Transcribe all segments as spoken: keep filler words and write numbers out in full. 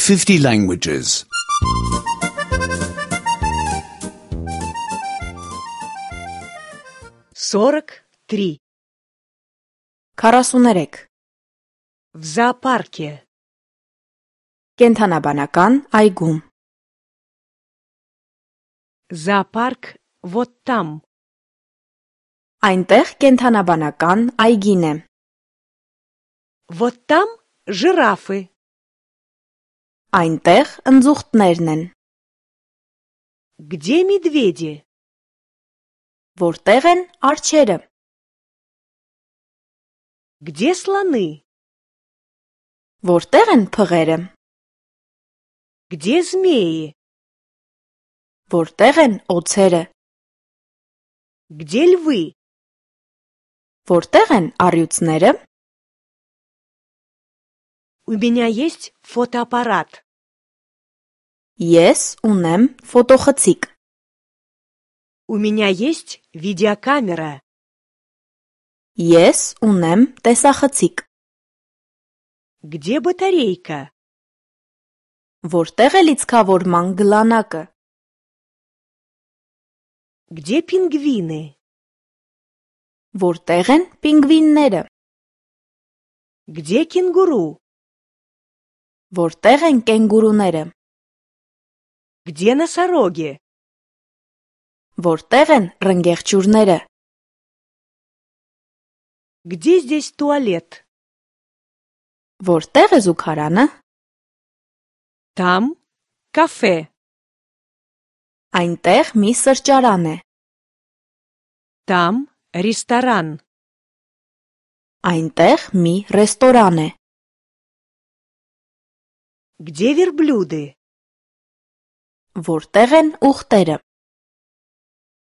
fifty languages. сорок три. քառասուներեք. В зоопарке. Կենդանաբանական այգում. Зоопарк вот там. Այնտեղ կենդանաբանական այգին է. Вот там жирафы. Այնտեղ ընձուղտներն են. Где медведи? Որտեղ են արջերը? Где слоны? Որտեղ են փղերը? Где змеи? Որտեղ են օձերը? Где львы? Որտեղ են առյուծները? У меня есть фотоаппарат. Ես ունեմ ֆոտոխցիկ. У меня есть видеокамера. Ես ունեմ տեսախցիկ. Где батарейка? Որտեղ է լիցքավորման գլանակը? Где пингвины? Որտեղ են պինգվինները? Где кенгуру? Որտեղ են կենգուրուները? Где носороги? Որտեղ են ռնգեղջյուրները? Где здесь туалет? Որտեղ է զուգարանը? Там кафе. Այնտեղ մի սրճարան է. Там ресторан. Այնտեղ մի ռեստորան է. Где верблюды? Որտեղ են ուղտերը?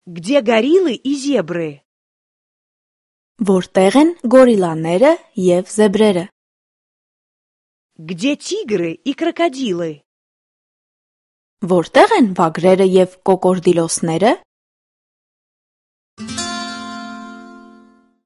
Где гориллы и зебры? Որտեղ են գորիլաները և զեբրերը? Где тигры и крокодилы? Որտեղ են վագրերը և կոկորդիլոսները?